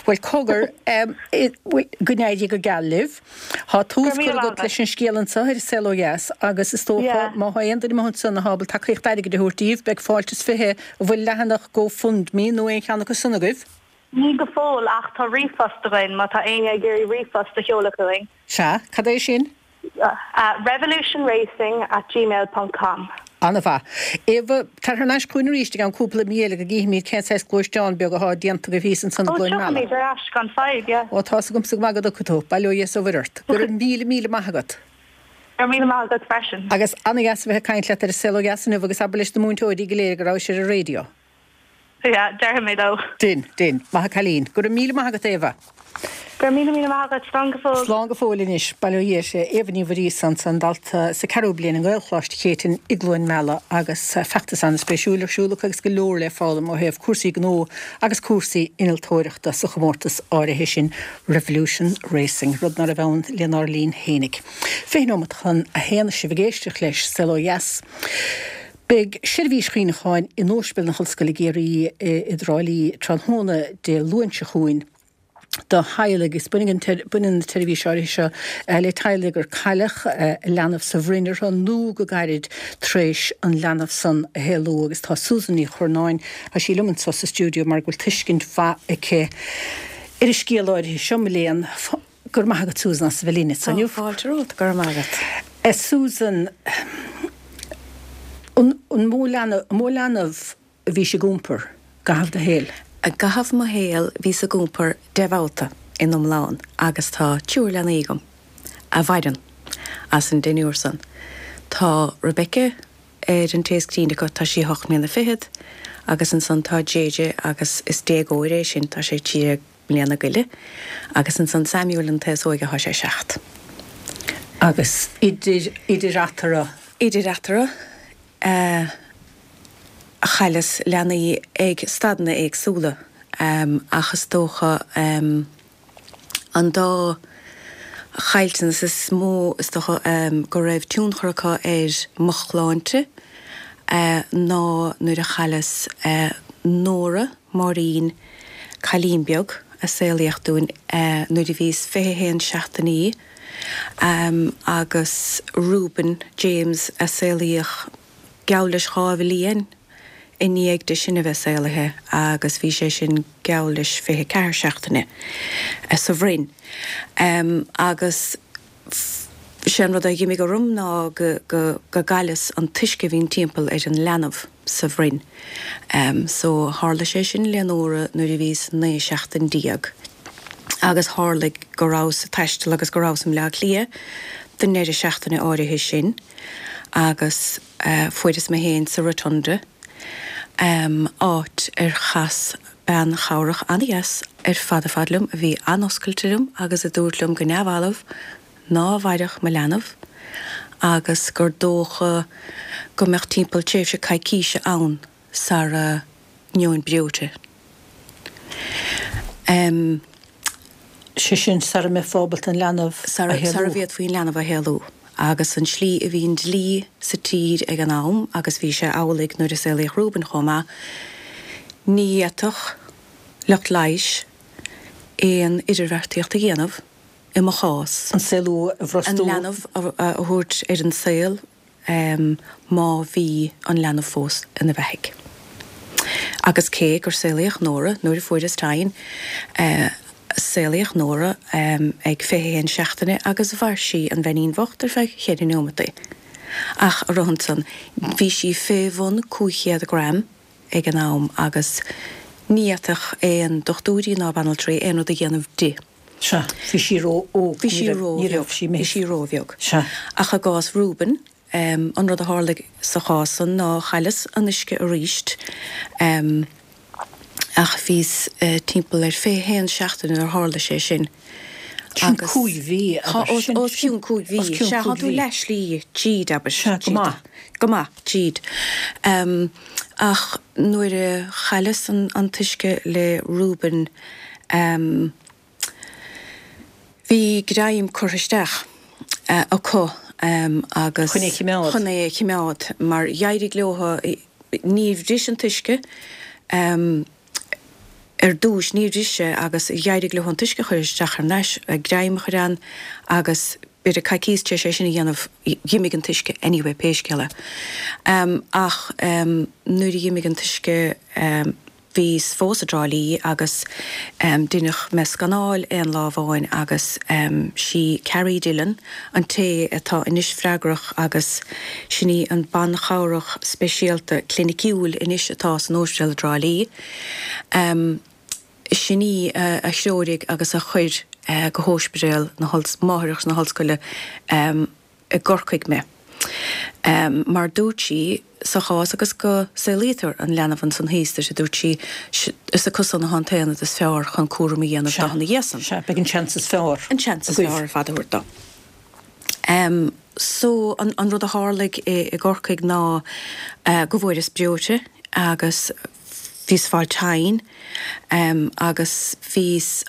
Bhuel, cogar, bhuel, go n-éirí go geal libh. Tá tús curtha agat leis an scéal anseo ar An Saol Ó Dheas agus is dócha, má tá aon duine amuigh ansan atá ábalta tacaíocht airgid a thabhairt daoibh, beidh fáilte is 20, an bhfuil leathanach GoFundMe nó aon cheann acu san agaibh? Ní go fóill ach tá ríomhphost againn má tá éinne ag iarraidh ríomhphost a sheoladh chugainn. Sea, cad é sin? Revolutionracing at gmail ponc com. An-mhaith. Éabha, tar thar n-ais chugainn arís i gceann cúpla mí eile go gcífimid cén saghas gluaisteán beag athá déanta agaibh thíos ansan i Ó, gCluain Meala. tiocfaimid ar ais gan fadhb, yeah. Ó, tá's agamsa go maith go dtiocfaidh tú. Bail ó Dhia is ó Mhuire ort. Go raibh míle, míle maith agat. Go raibh míle maith agat freisin. Agus an-dheas a bheith ag caint leat ar An Saol Ó Dheas inniu agus abair leis na múinteoirí go léir go rabhais ar an raidió. Yeah, déarfaidh mé leo. Dein, dein. Maith an cailín. Go raibh míle maith agat, Éabha. Go raibh míle míle maith agat. Slán go fóill. Slán go fóill anois. Bail ó Dhia uirthi. Éabha Ní Mhuiríosa ansan, dalta sa ceathrú bliain i nGaelcholáiste Chéitinn i gCluain Meala agus feachtas an-spéisiúil ar siúl acu agus go leor le foghlaim ó thaobh cúrsaí gnó agus cúrsaí innealtóireachta sa chomórtas áirithe sin Revolution Racing, rud ná raibh ann lenár linn fhéinig. 20 nóimeat chun a haon sibh ag éisteacht leis Saol Ó Dheas. Beidh seirbhís chuimhneacháin in Ospidéal na hOllscoile i gCiarraí i dTrá Lí tráthnóna Dé Luain seo chugainn do theaghlaigh agus baineann an tseirbhís áirithe seo le teaghlaigh ar cailleadh leanbh sa bhroinn orthu nó go gairid tar éis an leanbh san a shaolú agus tá Susan Ní Churnáin, tá sí liom anseo sa stiúideo mar go bhfuil tuiscint mhaith aici ar an scéal áirithe seo, mo léan. Go raibh maith agat Susan as a bheith linn inniu. Tá fáilte romhat, go raibh maith agat. Susan, an mó leanbh, an mó leanbh a bhís ag iompar i gcaitheamh do shaoil? I gcaitheamh mo shaoil bhíos ag iompar 10 mbabhta in iomlán agus tá triúr leanaí agam a mhaireann as an deichniúr san. Tá Rebecca ar an té is críonna acu, tá sí ocht mbliana fichead agus ansan tá JJ agus is déagóir é sin, tá sé 13 mbliana go leith agus ansan Samuel an t-is óige thá sé 7. Agus idir, idir eatarthu? Idir eatarthu, chailleas leanaí ag staideanna éagsúla ach is dócha an dá chaillteanas is mó is dócha go raibh tionchar acu ar mo shláinte ná nuair a chailleas Nóra, Máirín, cailín beag a saolaíodh dúinn nuair a bhíos 21 seachtainí agus Reuben James a saolaíodh geall leis 2 bhliain i ndiaidh di sin a bheith saolaithe agus bhí sé sin geall leis 24 seachtaine sa bhroinn agus sé an rud a dh'imigh orm ná go go gcailleas an t-uisce a bhíonn timpeall ar an leanbh sa bhroinn. So tharla sé sin le Nóra nuair a bhíos 19 seachtain agus tharlaigh go rabhas ag taisteal agus go rabhas i mBleá Cliath don ndeireadh seachtaine áirithe sin agus fuaireas mé féin sa Rotunda, áit ar chas bean chabhrach an-dheas ar fad ar fad liom a bhí an-oscailte liom agus a dúirt liom go neamhbhalbh ná mhairfeadh mo leanbh agus gur dócha go mbeadh timpeall tréimhse coicíse ann sara ngeobhainn breoite. Sé sin, sara mbeifeá ábalta an leanbh a shaolú. Sara bhféadfaí an leanbh a shaolú. Agus an tslí a bhí an dlí sa tír ag an am, agus bhí sé amhlaidh nuair a saolaíodh Reuben chomh maith, ní fhéadfadh lucht leighis aon idirbheartaíocht a dhéanamh i mo chás. An saolú a bhrostú. An leanbh a thabhairt ar an saol má bhí an leanbh fós ina bheathaidh. Agus cé gur saolaíodh Nóra nuair a fuaireas tine, saolaíodh Nóra ag 21 seachtaine agus mhair sí, an bheainín bhocht, ar feadh cheithre neomataí. Ach a rá ansan, bhí sí fé bhun 500 gram ag an am agus ní fhéadfadh aon dochtúirí ná banaltraí aon rud a dhéanamh di. Sea, bhí sí ró-óg. Bhí sí ró-bheag. Bhí sí ró-bheag. Sea. Ach i gcás Reuben, an rud a tharlaigh sa chás san ná chailleas an uisce aríst, ach bhíos timpeall ar 21 seachtain nuair a tharla sé sin. Sin cúig mhí, abair. Tá, os cionn cúig mhí. Sea, tá tú leath-shlí tríd, abair. Sea, go maith. Go maith, tríd. Ach nuair a chailleas an t-uisce le Reuben, Bhí greim curtha isteach acu agus Chun é a chimeád. chun é a chimeád mar dh'éirigh leo, níor bhris an t-uisce ar dtúis, níor bhris sé agus dh'éirigh leo an t-uisce a chur isteach thar n-ais, greim a chur ann agus b'fhéidir coicíos tar éis é sin a dhéanamh dh'imigh an t-uisce anyway pé scéal é. Ach nuair a dh'imigh an t-uisce, Bhíos fós i dTrá Lí agus deineadh mé scanáil aon lá amháin agus sí Carrie Dillon an té atá anois freagrach agus sin í an ban-chabhrach speisialta cliniciúil anois atá san óispidéal i dTrá Lí. Sin í a threoirigh agus a chuir go hÓispidéal na Máithreach na hOllscoile i gCorcaigh mé. Mar dúirt sí, sa chás agus go saolaítear an leanbh ansan thíos duit, a dúirt sí, is acusan atá an t-aonad is fearr chun cúram a dhéanamh Sea, do ina dhiaidh san. sea, beidh an seans is fearr An seans is agaibh. fearr ar fad a thabhairt dó. So, an an rud a tharlaigh i i gCorcaigh ná go bhfuaireas breoite agus bhíos ag fáil tinn agus bhíos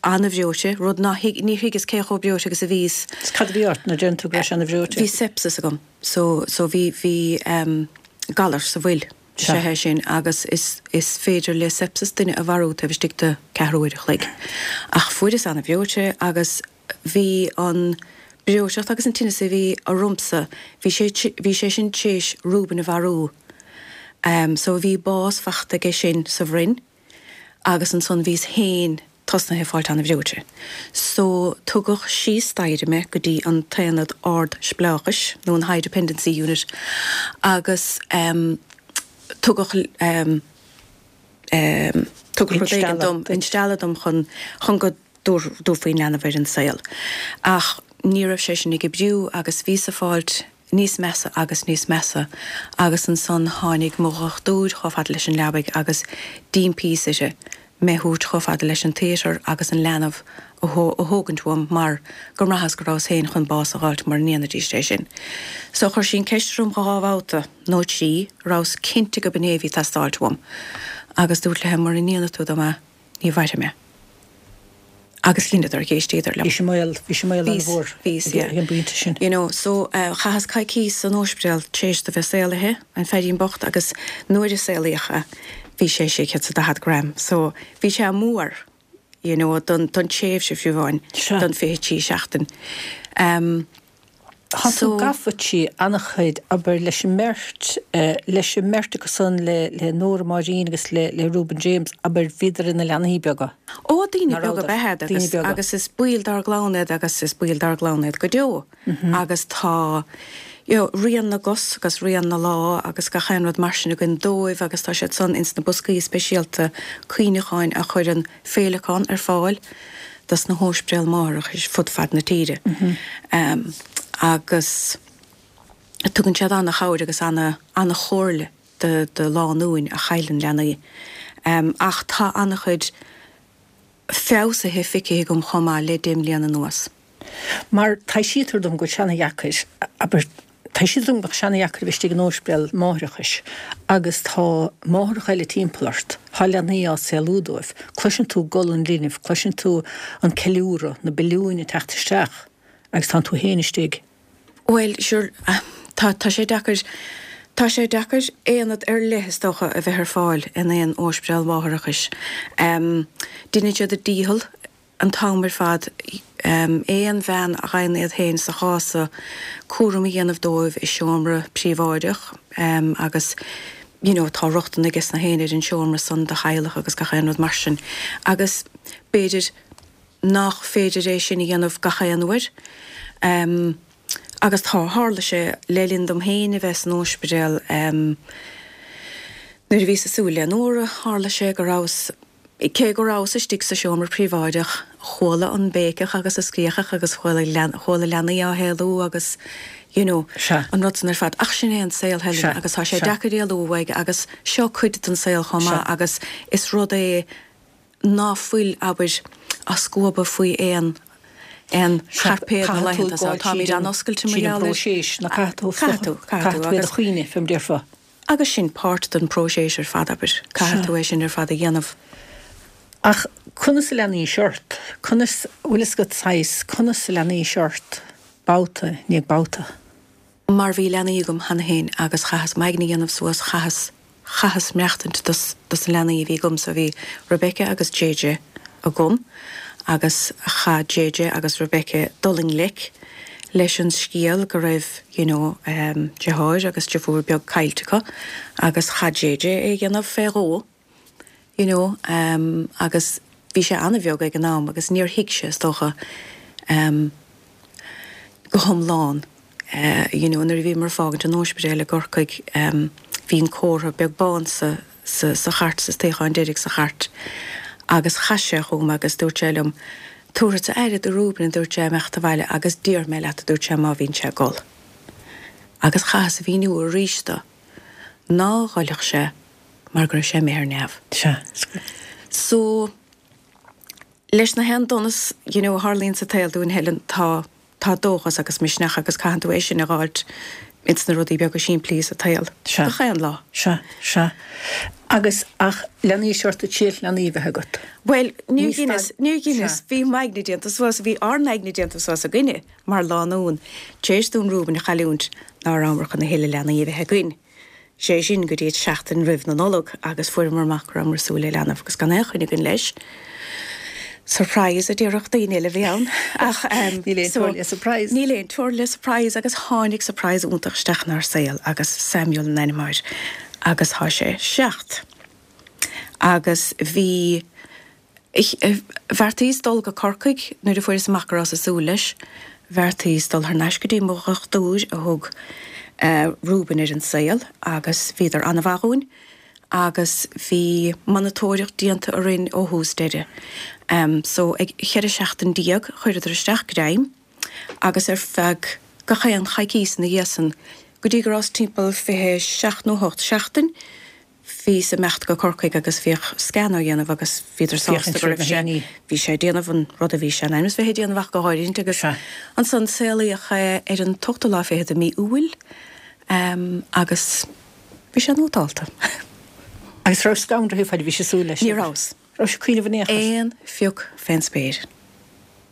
ana-bhreoite, rud ná thuig, níor thuigeas cé chomh breoite agus a bhíos. Is cad a bhí ort nuair a deireann tú go raibh sé ana-bhreoite? Bhí sepsis agam. So, so bhí, bhí ehm galar sa bhfuil, is ea é sin agus is, is féidir le sepsis duine a mharú taobh istigh de ceathrú uair a chloig. Ach fuaireas ana-bhreoite agus bhí an breoiteacht agus an tinneas a bhí ormsa, bhí sé, bhí sé sin t'éis Reuben a mharú. Ehm so bhí bás fachta aige sin sa bhroinn. agus ansan bhíos féin tosnaithe ag fáilt ana-bhreoite. So tugadh síos staighre mé go dtí an t-aonad ard-spleáchais, nó an High Dependency Unit, agus ehm tugadh ehm ehm tugadh rud éigin dom, instealladh dom chun chun go dtabharfaí an leanbh ar an saol. Ach ní raibh sé sin ag oibriú agus bhíos ag fáilt níos measa agus níos measa agus ansan tháinig mo dhochtúir chomh fada leis an leabaidh agus d'impíos uirthi mé thabhairt chomh fada leis an theatre agus an leanbh a thógaint uaim mar go mbraitheas go rabhas féin chun bás a dh'fháilt mura ndéanfaidís é sin. So chuir sí an ceist orm dhá bhabhta nó trí, rabhas cinnte go b'in é a bhí ag teastáilt uaim agus dúirt léi mura ndéanfaidh tú dom é ní mhairfidh mé. Agus dheineadar, dh'éistíodar liom. Bhí sé i mbaol, bhí sé i mbaol an-mhór ag an bpointe sin. You know, so chaitheas coicíos san óispidéal tar éis do bheith saolaithe, an feairín bocht, agus nuair a saolaíodh é, bhí sé 640 gram. So bhí sé mór, you know, don, don tréimhse fiú amháin, don 23 seachtain. Um, Tá tú gafa trí an-chuid, abair, leis an mbeirt, leis an mbeirt acu san, le le Nóra Máirín agus le le Reuben James, abair, bhíodar ina leanaí beaga. Ó, daoine beaga ab ea iad agus agus is baill dár gclann iad agus is baill dár gclann iad go deo agus tá you know rian na gcos agus rian na lámh agus gach aon rud mar sin againn dóibh agus tá siad san ins na boscaí speisialta cuimhneacháin a chuireann Féileacán ar fáil dos na hóispidéil máithreachais fud fad na tíre agus tugann siad ana-chabhair agus ana-chomhairle do lánúin a chailleann leanaí. Ach tá ana-chuid feabhsaithe feicthe agam chomh maith le deich mbliana anuas. Mar taibhsítear dom go bhfuil sé ana-dheacair, abair, taibhsítear dom go mbeadh sé ana-dheacair a bheith istigh in óispidéal máithreachais agus tá máithreacha eile timpeall ort, tá leanaí á saolú dóibh, cloiseann tú gol an linbh, cloiseann tú an ceiliúradh, na billiúin ag teacht isteach agus tánn tú féin istigh. Bhuel, sure, tá, tá sé deacair, tá sé deacair aonad ar leith, is dócha, a bheith ar fáil in aon óispidéal mháithreachais. Deineann siad a ndícheall an t-am ar fad aon bhean a fhaigheann iad féin sa chás so cúram a dhéanamh dóibh i seomra príobháideach agus you know tá rochtain aige na héinne ar an seomra san do theaghlach agus gach aon rud mar sin agus b'fhéidir nach féidir é sin a dhéanamh gach aon uair agus tá tharla sé le linn dom féin a bheith san óispidéal nuair a bhíos ag súil le Nóra tharla sé go rabhas Cé go rabhas istigh sa seomra príobháideach, chuala an béiceach agus an scréachach agus chuala chuala leanaí á shaolú agus you know, Sea. an rud san ar fad. Ach sin é an saol, Helen, Sea. agus tá sé Sea. deacair éalú uaidh agus seo cuid den saol chomh Sea. maith agus is rud é ná fuil, abair, á scuabadh faoi aon aon Sea. chairpéad na Caithfidh tú laethanta seo. gabháil Táimid tríd an an-oscailte mar tríd an gheall air. bpróiseas, nó caithfidh tú Caithfidh tú, caithfidh caithfidh tú tú iad a agus. chaoineadh, fé mar déarfá. Agus sin páirt den próiseas ar fad, abair. Caithfidh tú é sin ar fad a dhéanamh. Ach conas a leanaís ort? Conas, bhfuil fhios agat saghas, conas a leanaís ort babhta i ndiaidh babhta? Mar bhí leanaí agam cheana féin agus chaitheas m'aigne a dhéanamh suas, chaitheas, chaitheas maireachtaint dos, dos na leanaí a bhí agamsa. Bhí Rebecca agus JJ agam agus chaith JJ agus Rebecca dul i ngleic leis an scéal go raibh you know deartháir agus deirfiúr beag caillte acu agus chaith JJ é a dhéanamh fé dhó you know agus bhí sé an-bheag ag an am agus níor thuig sé is dócha go hiomlán you know nuair a bhíomar ag fágaint an óispidéil i gCorcaigh bhí an comhartha beag bán sa sa sa chairt, sa suíochán deiridh sa chairt agus chas sé chugam agus dúirt sé liom, Tabharfadsa aire do Reuben, a dúirt sé, imeacht abhaile agus déarfaidh mé leat, a dúirt sé, má bhíonn sé ag gol. Agus chaitheas a mhíniú arís do ná ghoilfeadh sé mar go raibh sé imithe ar neamh. Sea. So, leis na haon donas you know a tharlaíonn sa tsaol dúinn Helen, tá tá dóchas agus misneach agus caitheann tú é sin a dh'fháilt ins na rudaí beaga simplí sa tsaol. Sea. Gach aon lá. Sea, sea. Agus, ach leanaís ort ag triail leanaí a bheith agat. Bhuel, níor dheineas, níor dheineas, bhí m'aigne déanta suas, bhí ár n-aigne déanta suas againne mar lánúin, tar éis dúinn Reuben a chailliúint, ná rabhamar chun a thuilleadh leanaí a bheith againn. Sé sin, go dtí an tseachtain roimh na Nollag agus fuaireamar amach go rabhamar ag súil le leanbh agus gan aon choinne againn leis. Surprise a déarfadh daoine eile a bhí ann ach Níl aon teora le surprise. Níl aon teora le surprise agus tháinig surprise iontach isteach inár saol agus Samuel an ainm air agus tá sé 7. Agus bhí Bheartaíos dul go Corcaigh nuair a fuaireas amach go rabhas ag súil leis. Bheartaíos dul thar n-ais go dtí mo dhochtúir a thug Reuben ar an saol agus bhíodar an-mhaith dhúinn agus bhí monatóireacht déanta orainn ó thús deireadh. So ag 14 seachtain chuireadar isteach greim agus ar feadh gach aon choicís ina dhiaidh san go dtí go rabhas timpeall 27 nó 8 seachtain Bhíos ag imeacht go Corcaigh agus bhíodh scan á dhéanamh agus bhíodar sásta go raibh sé, bhí sé ag déanamh an rud a bhí sé in ainm is bheith ag déanamh ach go háirithint agus ansan saolaíodh é ar an t-ochtú lá fichead de mí Iúil agus bhí sé nótálta. Agus raibh scanraithe fad a bhís ag súil leis? Ní rabhas. Raibh sé ag cuimhneamh in aon chor? Aon phioc fén spéir.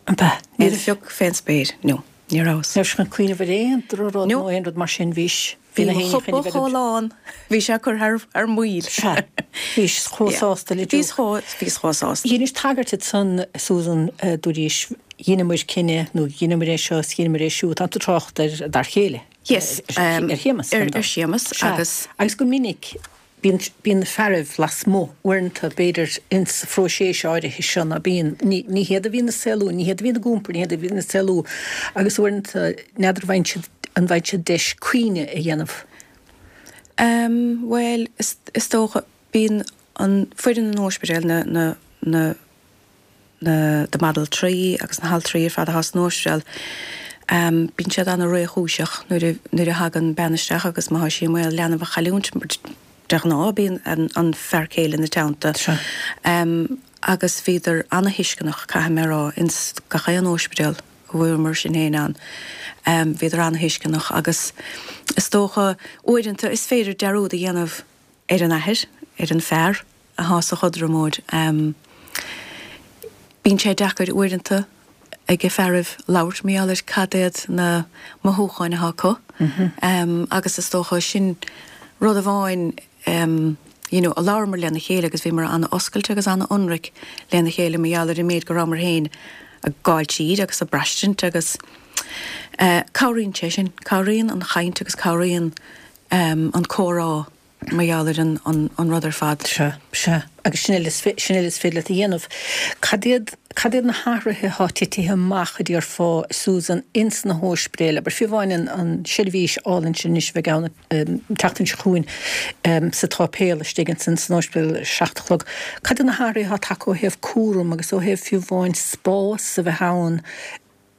Ab ea? Aon phioc fén spéir, no. Ní rabhas. Ní raibh sé chun cuimhneamh ar aon drochrud nó aon rud mar sin, bhís. Bhí mo chupa chomh lán, bhí sé curtha thar maoil. Sea. Bhís chomh sásta le Duke. Bhíos chomh sásta. Dheinis tagairt ansan, Susan, dúraís, dheineamair cinneadh nó dheineamair é seo is dheineamair é siúd, tá tú ag trácht ar d'fhear chéile. Yes. Ar Shéamas. Ar Shéamas agus. Agus go minic Bíonn, bíonn na fearaibh lasmuigh uaireanta, b'fhéidir, ins sa phróiseas áirithe seo, ná bíonn, ní, ní hiad a bhíonn ag saolú, ní hiad a bhíonn ag iompar, ní hiad a bhíonn ag saolú agus uaireanta n'fheadar an bhfaigheann siad, an bhfaigheann siad deis cuimhneamh a dhéanamh. Em, bhuel, is, is dócha, bíonn an foireann an ospidéil, na, na, na, na the mbanaltraí agus na haltraí ar fad atá san ospidéal, bíonn siad ana-réchúiseach nuair a nuair a thagann bean isteach agus má tá sí i mbaol leanbh a chailliúint, de ghnáth bíonn an fear céile ina teannta. Agus bhíodar ana-thuisceanach, caithfidh mé a rá, ins gach aon ospidéal a bhfuaireamar sinn féin ann, bhíodar ana-thuisceanach agus is dócha uaireanta is féidir dearúd a dhéanamh ar an athair, ar an fear athá sa chothromóid. Bíonn sé deacair uaireanta ag fearaibh labhairt mar gheall ar cad iad na mothúcháin athá acu agus is dócha sin rud amháin you know a labhramar lena chéile agus bhíomar ana-oscailte agus ana-ionraic lena chéile mar gheall ar an méid go rabhamar féin ag gabháil tríd agus ag braistint agus cabhraíonn sé sin, cabhraíonn an chaint agus cabhraíonn an comhrá mar gheall ar an rud ar fad. Sea, sea. Agus sin uile sin uile is féidir leat a dhéanamh. Cad iad, cad iad na hathruithe atá titithe amach, a déarfá, Susan, ins na hóispidéil, abair, fiú amháin an, an seirbhís álainn sin anois a bheidh ann an tseachtain seo chugainn sa tsáipéal istigh ansin san óispidéal ar a seacht a chlog. Cad iad na hathruithe atá tagtha ó thaobh cúram agus ó thaobh fiú amháin spás a bheith ann,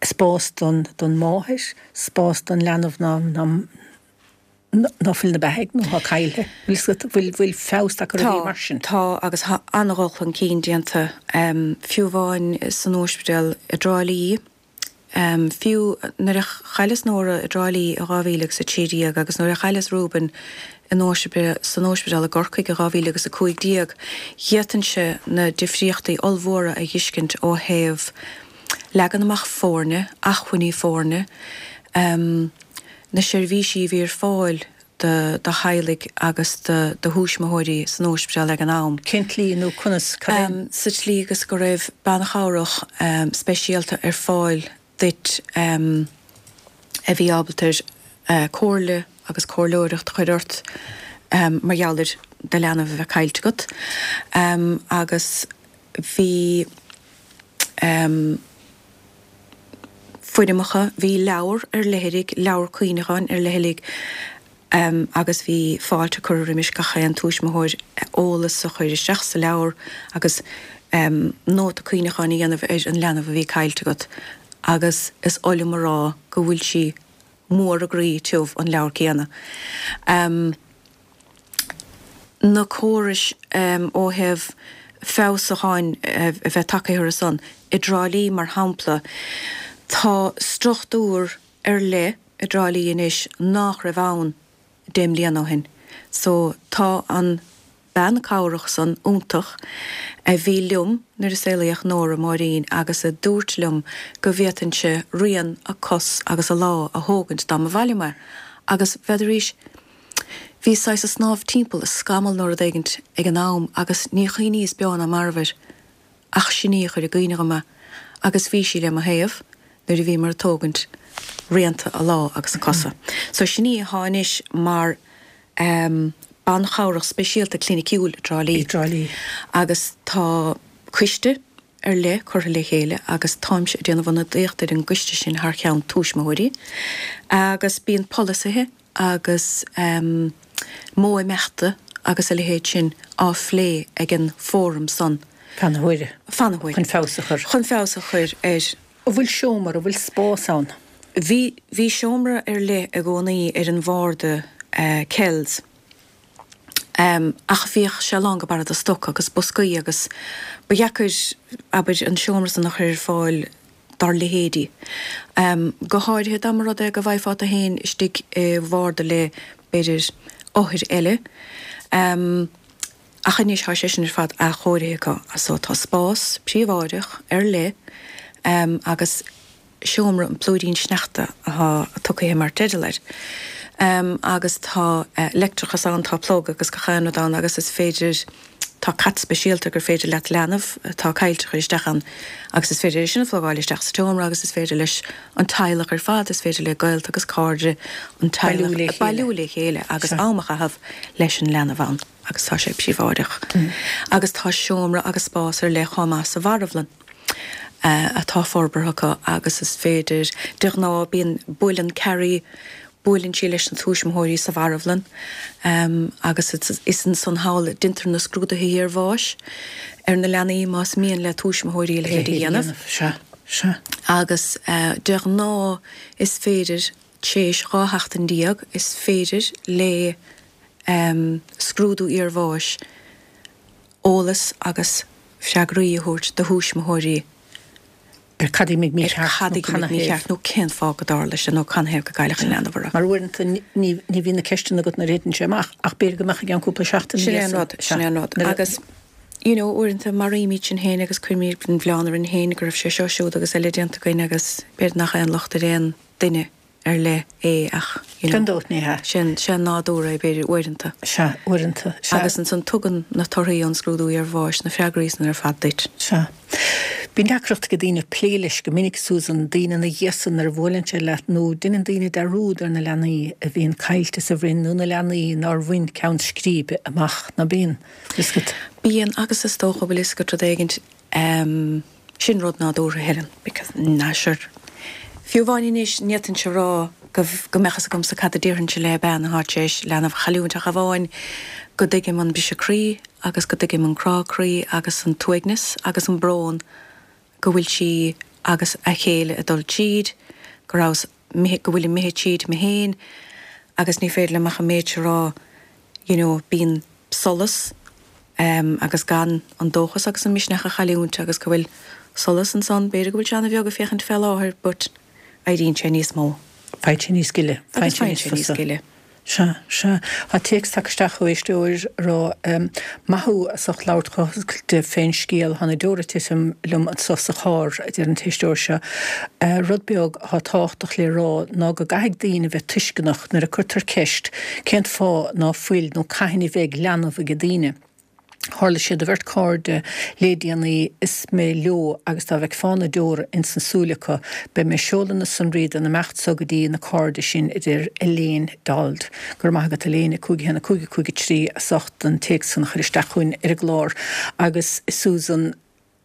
spás don, don máthair, spás don leanbh ná, ná, ná fuil 'na beathaidh nó thá caillthe. Bhfuil fhios agat, bhfuil, bhfuil feabhas tagtha ar rudaí mar sin? Tá, tá agus tá an-dhul chun cinn déanta, fiú amháin san óispidéal i dTrá Lí, fiú nuair a chailleas Nóra i dTrá Lí i 2013 agus nuair a chailleas Reuben in óispidéal, san óispidéal i gCorcaigh i 2015, d'fhéadfainnse na difríochtaí ollmhóra a dh'fheiscint ó thaobh leagan amach foirne, acmhainní foirne, na seirbhísí a bhí ar fáil do theaghlaigh agus do thuismitheoirí san óispidéal ag an am. Cén tslí nó conas, cad é? Sa tslí agus go raibh bean chabhrach speisialta ar fáil duit a bhí ábalta comhairle agus comhairleoireacht a chur ort mar gheall ar do leanbh a bheith caillte agat agus bhí foirmeacha, bhí leabhar ar leithligh, leabhar cuimhneacháin ar leithligh agus bhí fáilte curtha roimis gach aon tuismitheoir eolas a chur isteach sa leabhar agus nóta cuimhneacháin a dhéanamh ar an leanbh a bhí caillte agat agus is oth liom a rá go bhfuil sí. mór a gcroí tiubh an leabhar céanna. Na córais ó thaobh feabhsúcháin a bheith tagtha orthu san, i dTrá Lí mar shampla, tá struchtúr ar leith i dTrá Lí anois nach raibh ann 10 mbliana ó shin. So tá an bean cabhrach san iontach a bhí liom nuair a saolaíodh Nóra, Máirín, agus a dúirt liom go bhféadfainnse rian a cos agus a lámh a thógaint dá mba mhaith liom é agus bhfeadarís bhí saghas ag snámh timpeall i scamall nó rud éigint ag an am agus ní chuimhníos beo ná marbh air ach sin í a chuir i gcuimhne dhom é agus bhí sí le mo thaobh nuair a bhíomar ag tógaint rianta a lámh agus a cosa. So sin í atá anois mar bean chabhrach speisialta cliniciúil i dTrá Lí. I dTrá Lí. Agus tá coiste ar leith curtha le chéile agus táimse ag déanamh ionadaíocht ar an gcoiste sin thar cheann tuismitheoirí agus bíonn polasaithe agus modh imeachta agus a leithéid sin á phlé ag an bhfóram san. Fan na huaire. Fan na huaire. Chun feabhas a chur. Chun feabhas a chur ar. An bhfuil seomra, an bhfuil spás ann? Bhí, bhí seomra ar leith i gcónaí ar an bharda Kells. Ach bhíodh sé lán go barra de stoc agus boscaí agus ba dheacair, abair, an seomra san a chur ar fáil dár leithéidí. Go háirithe dá mba rud é go bhfaighfeá tú féin istigh i bharda le, b'fhéidir, othair eile. Ach anois tá sé sin ar fad athchóirithe acu so tá spás príobháideach ar leith agus seomra an plúirín sneachta atá tugtha mar teideal air. Agus tá leictreachas ann, tá plug agus gach aon rud ann agus is féidir, tá cat speisialta gur féidir leat leanbh atá caillte a chur isteach ann agus is féidir é sin a phlugáil isteach sa tseomra agus is féidir leis an teaghlach ar fad, is féidir le gaolta agus cairde an teaghlach bailiú le chéile agus am a chaitheamh leis an leanbh ann agus tá sé príobháideach. Agus tá seomra agus spás ar leith chomh maith sa mharbhlann atá forbartha acu agus is féidir, de ghnáth bíonn, buaileann Carrie, buaileann sí leis na tuismitheoirí sa mharbhlann agus is ansan thall a deintear na scrúduithe iarbháis ar na leanaí más mian le tuismitheoirí a leithéid a dhéanamh. Sea, sea. Agus de ghnáth is féidir, tréis 12 sheachtain, is féidir le scrúdú iarbháis eolas agus freagraí a thabhairt do thuismitheoirí ar cad a d'imigh mícheart nó canathaobh. nó cén fáth go dtarla sé nó canathaobh go gcailleadh an leanbh orthu. Mar uaireanta ní bhíonn na ceisteanna agat nuair a thiteann sé amach ach b'fhéidir go mbeadh i gceann cúpla seachtain Sin é an rud, sin é an rud. Agus you know uaireanta maraímid sinn féin agus cuirimid an mhilleán orainn féin go raibh sé seo, siúd agus eile déanta againn agus b'fhéidir nach aon locht ar aon duine ar leith é ach, you know. Gan dabht ní hea. Sin, sé an nádúr é, b'fhéidir, uaireanta. Sea, uaireanta, sea. Agus ansan tugann na torthaí ón scrúdú iarbháis na freagraí san ar fad duit. Sea. Bíonn deacracht ag daoine plé leis go minic, Susan, daoine ina dhiaidh san nuair a bhuaileann sé leat nó deineann daoine dearúd ar na leanaí a bhíonn caillte sa bhroinn nó na leanaí nár bhain ceann scríbe amach, ná bíonn? Fhios agat. Bíonn, agus is dócha, bhfuil fhios agat rud éigint, ehm, Sin rud nádúrtha, Helen, because, nah, sure. Fiú amháin anois, ní fhéadfainnse a rá go, go mbeadh fhios agamsa cad a déarfainnse le bean atá tar éis leanbh a chailliúint ach amháin go dtuigim an briseadh croí agus go dtuigim an crá croí agus an t-uaigneas agus an brón go bhfuil sí agus a chéile ag dul tríd, go rabhas, go bhfuilim imithe tríd mé féin agus ní féidir liom ach an méid seo a rá, you know, bíonn solas agus gan an dóchas agus an misneach a chailliúint agus go bhfuil solas ansan, b'fhéidir go bhfuil sé ana-bheag ag féachaint fé láthair but éiríonn sé níos mó. Faigheann sé níos gile, faigheann sé níos fusa. Gile. Sea, sea. Tá téacs tagtha isteach ó éisteoir ag rá, Maith thú as ucht labhairt chomh hoscailte fén scéal, tá na deora ag titim liom anso sa charr, a deir an t-éisteoir seo. Rud beag atá tábhachtach le rá ná go gcaithfidh daoine bheith tuisceanach nuair a cuirtear ceist cén fáth ná fuil nó cathain a bheidh leanbh age daoine. Tharla sé do bheirt cairde lé déanaí is mé leo agus dá bhfeicfeá na deora ins na súile acu. Beidh mé ag seoladh na sonraí don imeacht so go dtí na cairde sin a deir Elaine Dold. Go raibh maith agat Elaine, 5 1 5 5 3 as ucht an téacs san a chur isteach chugainn ar an gclár agus Susan,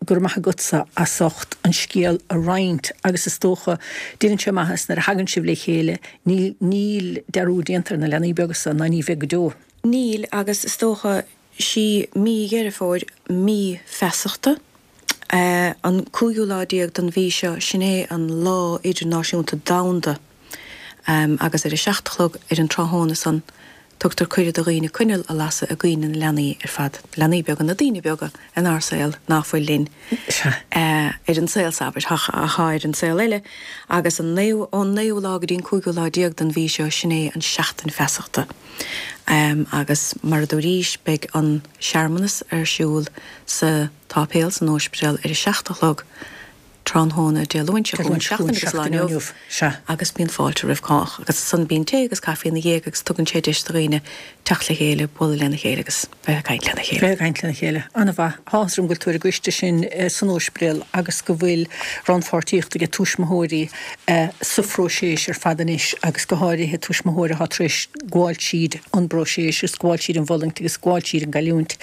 Go raibh maith agatsa as ucht an scéal a roinnt agus is dócha, déanann sé maitheas nuair a thagann sibh le chéile, níl, níl dearúd déanta ar na leanaí beaga san ná ní bheidh go deo. Níl agus is dócha, sí mí Dheireadh Fómhair mí feasachta, an cúigiú lá déag den mhí seo, sin é an lá idirnáisiúnta domhanda. Agus ar a 7 a chlog ar an tráthnóna san, tugtar cuireadh do dhaoine coinneal a lasadh i gcuimhne na leanaí ar fad, leanaí beaga, na daoine beaga inár saol ná fuil linn ar an saol, abair, atá ar an saol eile. Agus an naoú, ón naoú lá go dtí an cúigiú lá den mhí seo, sin é an Seachtain Feasachta. Agus mar a dúraís, beidh an searmanas ar siúl sa tsáipéal san Óispidéal ar a 7 a chlog tráthnóna Dé Luain seo chugainn, seachtain agus lá inniu, agus bíonn fáilte roimh chách. Agus ansan bíonn tae agus caife ina dhiaidh agus tugann sé deis do dhaoine teacht le chéile, bualadh lena chéile agus bheith ag caint lena chéile. Bheith ag caint lena chéile. An-mhaith. Tá áthas orm go bhfuil tú ar an gcoiste sin san Óispidéal agus go bhfuil rannpháirtíocht aige tuismitheoirí sa phróiseas ar fad anois agus go háirithe tuismitheoirí atá tar éis gabháil tríd an bpróiseas agus gabháil tríd an bhfulaingt agus gabháil tríd an gcailliúint.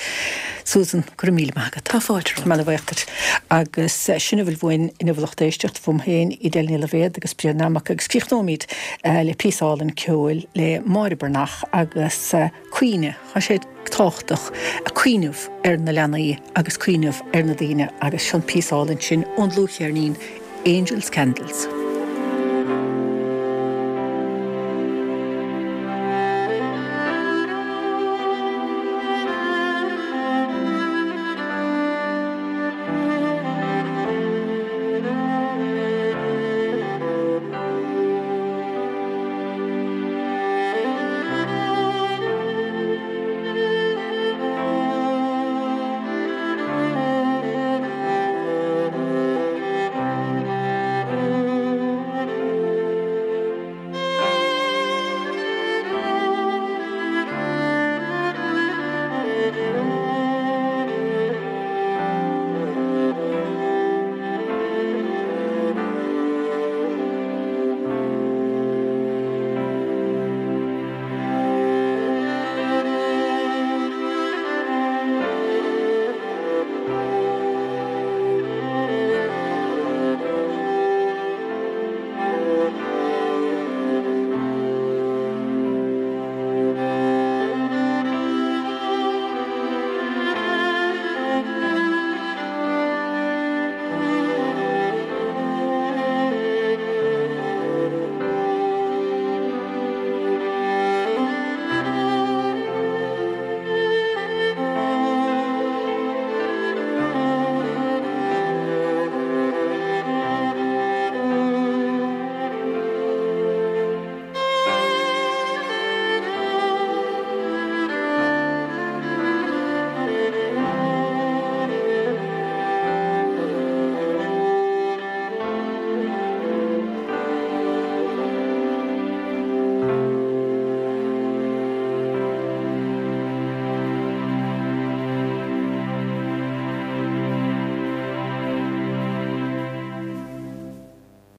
Susan, go raibh míle maith agat. Tá fáilte romhat. Míle buíoch duit. Agus sin a bhfuil uainn inniu a lucht éisteachta, uaim féin, Edel Ní Loibhéad agus Bríd Nammock agus críochnóimid le píosa álainn ceoil le Máire Breathnach agus Cuimhne. Tá sé tábhachtach cuimhneamh ar na leanaí agus cuimhneamh ar na daoine agus seo an píosa álainn sin ón dlúthcheirnín Angels Candles.